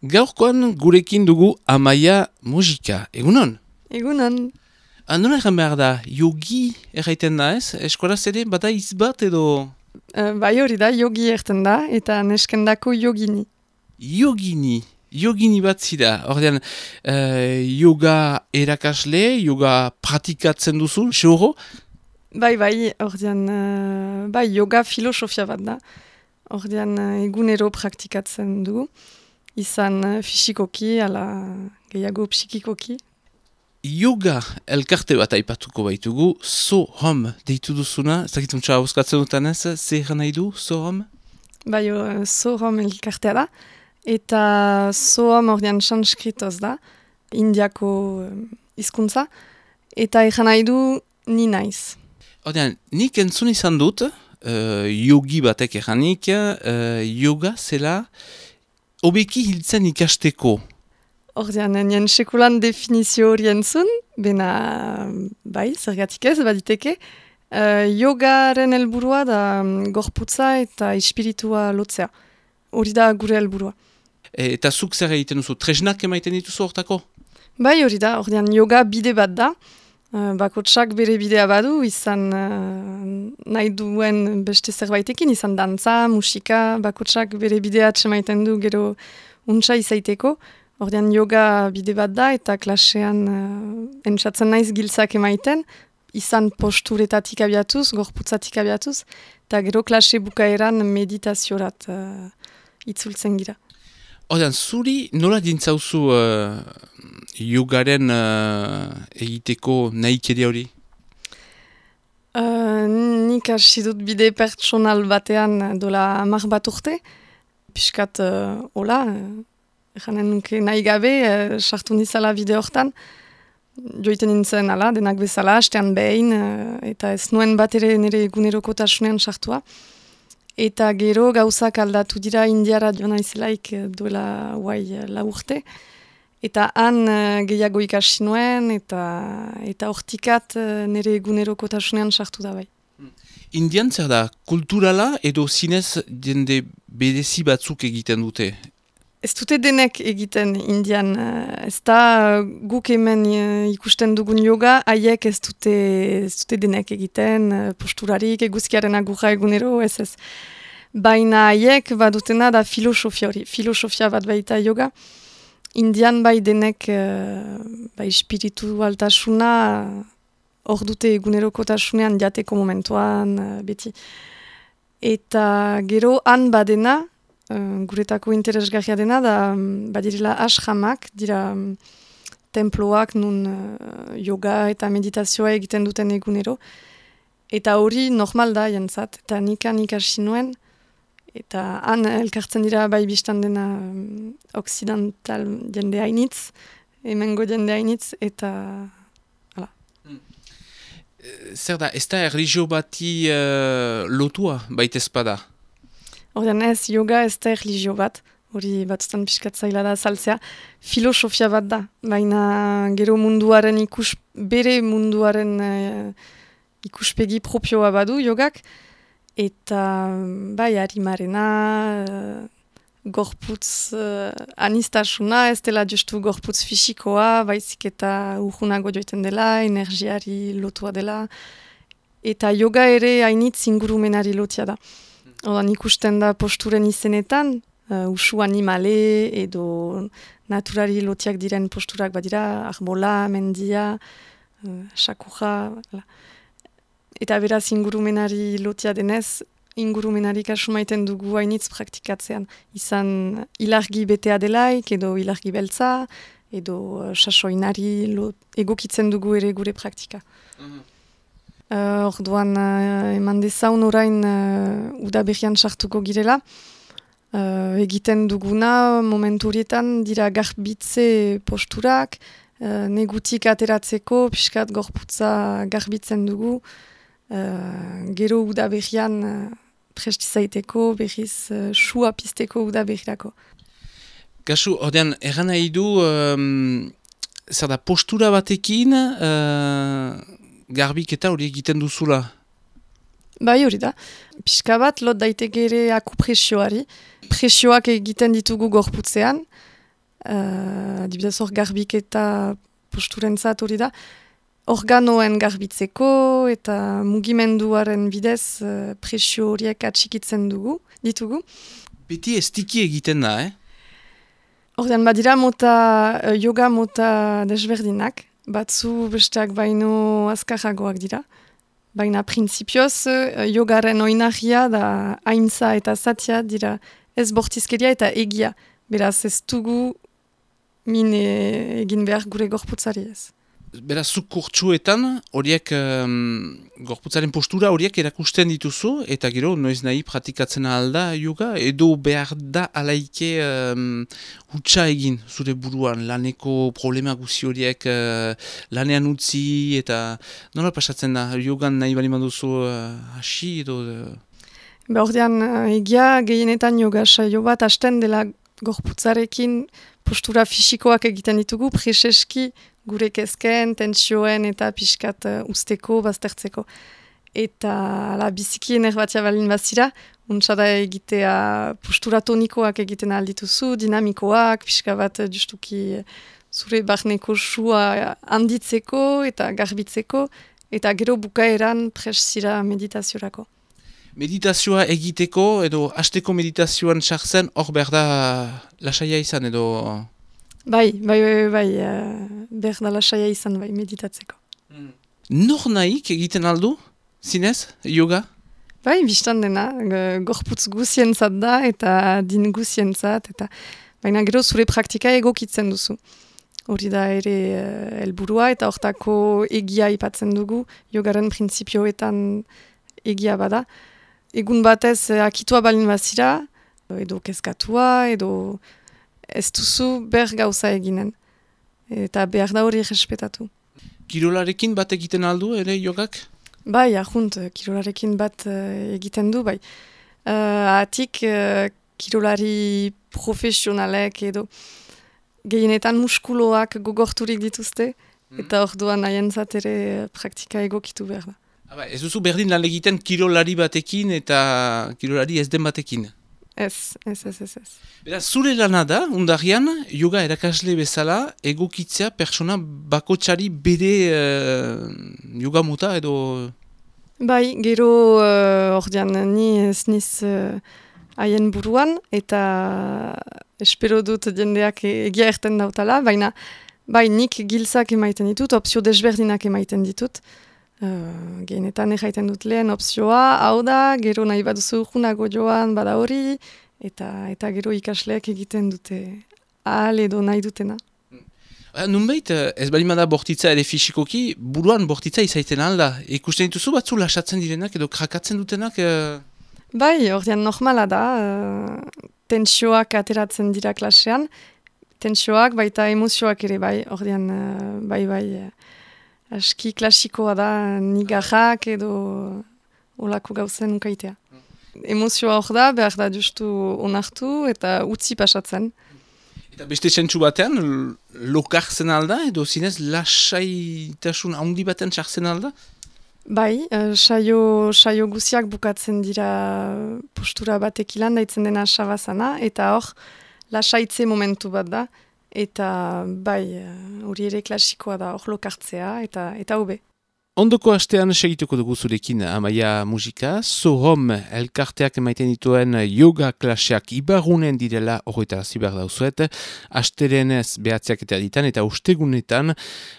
Gaurkoan gurekin dugu Amaia Musika. Egunon? Egunon. Nola egan behar da, yogi erraiten da ez? Eskolaz ere, bada izbat edo... Bai hori da, yogi erten da, eta neskendako yogini. Yogini bat zira. Ordean, yoga erakasle, yoga pratikatzen duzu, seuro? Bai, ordean, yoga filosofia bat da. Ordean, egunero praktikatzen dugu. Izan fisikoki, ala gehiago psikikoki. Yoga elkarte bat aipatuko baitugu, So-Hom deitu duzuna, ez dakituntza hauskatzen dutanez, zer nahi du, So-Hom? Bai, So-Hom elkartea da, eta So-Hom ordean sanskritoz da, indiako hizkuntza, eta egan nahi du ni naiz. Ordean, nik entzun izan dut, yogi batek eganik, yoga zela hobeki hiltzen ikasteko. Ordean, nien sekulan definizio hori entzun, bena, bai, zergatik ez, baditeke, yogaren helburua da gorputza eta espiritua lotzea. Hori da gure helburua. Eta zuk zer egiten duzu, tresnak emaiten dituzu hortako? Bai, hori da, ordean yoga bide bat da, bakotsak bere bidea badu, izan nahi duen beste zerbaitekin, izan dantza, musika, bakotsak bere bidea atsemaiten du gero untsa izaiteko. Ordean yoga bide bat da eta klasean entzatzen naiz giltzak emaiten, izan posturetatik abiatuz, gorputzatik abiatuz, eta gero klase bukaeran meditaziorat itzultzen gira. Ordean, zuri nola dintzauzu yogaren egiteko nahikeria hori? Nik hasi dut bide pertsonal batean dola 10 bat urte, piskat hola, janen nuke nahi gabe, sartu nizala bide hortan, joiten nintzen ala, denak bezala, hastean behin, eta ez nuen bat ere nire egunerokotasunean sartua. Eta gero gauzak aldatu dira indiara joan naizelaik duela lau urte. Eta han gehiago ikasi nuen, eta hortikat nire egunerokotasunean sartu da bai. Indian zer da, kulturala edo zinez jende berezi batzuk egiten dute? Ez dute denek egiten Indian, ez da guk hemen ikusten dugun yoga, haiek ez dute denek egiten, posturarik, eguzkiaren agurra egunero, ez. Baina haiek badutena da filosofia hori, filosofia bat baita yoga. Indian bai denek espiritualtasuna hor dute egunerokotasunean jateko momentuan, beti. Eta gero han badena, guretako interesgarria dena, da badirela ashramak, dira temploak nun yoga eta meditazioa egiten duten egunero. Eta hori normal da jentzat, eta nikan ikasi nuen, eta han elkartzen dira bai biztan dena occidental jende hainitz, hemengo jende hainitz, eta hala. Zer da, ez da erlijio bati lotua baitezpada? Ordean ez, yoga ez da erlijio bat, hori batzutan pixkatzaila da saltzea, filosofia bat da, baina gero munduaren bere munduaren ikuspegi propioa badu jogak, eta bai harimarena, gorputz anistasuna, ez dela justu gorputz fisikoa, baizik eta urgunago joiten dela, energiari lotua dela, eta yoga ere hainitz ingurumenari lotia da. Odan ikusten da posturen izenetan, usu animale edo naturari lotiak diren posturak badira, arbola, mendia, sakuja. Eta beraz ingurumenari lotia denez, ingurumenari kasu maiten dugu hainitz praktikatzean. Izan ilargi betea delaik, edo ilargi beltza, edo sasoinari egokitzen dugu ere gure praktika. Orduan eman dezaun orain udaberrian sartuko girela. Egiten duguna momentu horietan dira garbitze posturak, negutik ateratzeko, pixkat gorputza garbitzen dugu, gero udaberrian prestizaiteko, berriz sua pizteko udaberrirako. Kasu, ordean, erran nahi du, zer da, postura batekin, garbiketa hori egiten duzula? Bai hori da. Pixka bat, lot daiteke ere akupresioari. Presioak egiten ditugu gorputzean, adibidez hor garbiketa posturentzat hori da, organoen garbitzeko eta mugimenduaren bidez presio horiek atxikitzen ditugu. Beti ez tiki egiten da, Ordean badira yoga mota desberdinak, batzu besteak baino azkarragoak dira. Baina printzipioz yogaren oinarria da haintza eta zatia dira ez bortizkeria eta egia. Beraz ez dugu min egin behar gure gorputzari ez. Beraz, zuk kurtsuetan, horiek gorputzaren postura horiek erakusten dituzu, eta gero, noiz nahi pratikatzen alda yoga, edo behar da alaike hutsa egin zure buruan, laneko problema guzi horiek lanean utzi, eta nola pasatzen da, yogan nahi bali manduzu hasi, edo... Ordean, egia gehienetan yoga saio bat hasten dela gorputzarekin postura fisikoak egiten ditugu, preseski gure kezken, tentsioen eta pixkat usteko, baztertzeko. Eta biziki enerbatia balin bazira, untsada egitea postura tonikoak egiten aldituzu, dinamikoak, pixka bat justuki zure barneko sua handitzeko eta garbitzeko, eta gero bukaeran presira meditaziorako. Meditazioa egiteko edo hasteko meditazioan sartzen hor behar da lasaia izan edo... Bai, behar da lasaia izan meditatzeko. Nor nahik egiten aldu, zinez, yoga? Bai, biztan dena, gorputz guzientzat da eta din guzientzat, baina gero zure praktika egokitzen duzu. Hori da ere helburua eta hortako egia ipatzen dugu, yogaren printzipioetan egia bada. Egun batez akitua balin bazira, edo kezkatua, edo ez duzu ber gauza eginen. Eta behar da hori respetatu. Kirolarekin bat egiten aldu, ere yogak? Bai, ahunt, kirolarekin bat egiten du, bai. Atik kirolari profesionalek edo gehienetan muskuloak gogorturik dituzte, eta orduan nahientzat ere praktika egokitu behar da. Ez duzu berdin lan egiten kirolari batekin eta kirolari ez den batekin? Ez. Beraz, zure lana da, undarian, yoga erakasle bezala egokitzea persona bakotsari bere yoga mota edo... Bai, gero ordean ni ez niz haien buruan eta espero dut jendeak egia erten dautala, baina bai nik giltzak emaiten ditut, opzio desberdinak emaiten ditut. Gehienetan erraiten dut lehen opzioa, hau da, gero nahi baduzu junago joan bada hori, eta gero ikasleak egiten dute ahal edo nahi dutena. Nunbait, ez balimada bortitza ere fisikoki, buruan bortitza izaiten alda. Ikusten dituzu batzu lasatzen direnak edo krakatzen dutenak? Bai, ordean normala da, tentsioak ateratzen dira klasean, tentsioak baita emozioak ere bai, ordean bai, aski klasikoa da nigarrak edo olako gauzen ukaitea. Emozioa hor da, behar da justu onartu eta utzi pasatzen. Eta beste sentsu batean, lokartzen alda edo zinez lasaitasun handi baten sartzen alda? Bai, saio guziak bukatzen dira postura batek ilan daitzen dena sabazana, eta hor lasaitze momentu bat da. Eta bai, hori ere klasikoa da, hor lokartzea, eta hobe. Ondoko astean segituko dugu zurekin Amaia musika, Sohom elkarteak emaiten dituen yoga klaseak ibarunen direla horretara zibar dauzuet, asterenez behatziak eta erditan eta ustegunetan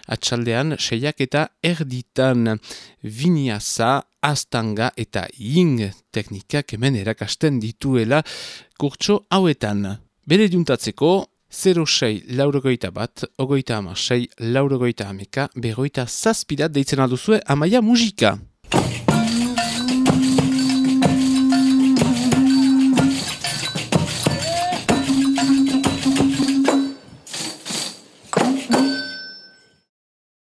atxaldean seiak eta erditan vinyasa, astanga eta ying teknikak hemen erakasten dituela kurtso hauetan. Bere diuntatzeko, 06-61, 26-60, 11, 7 deitzen alduzue Amaia musika.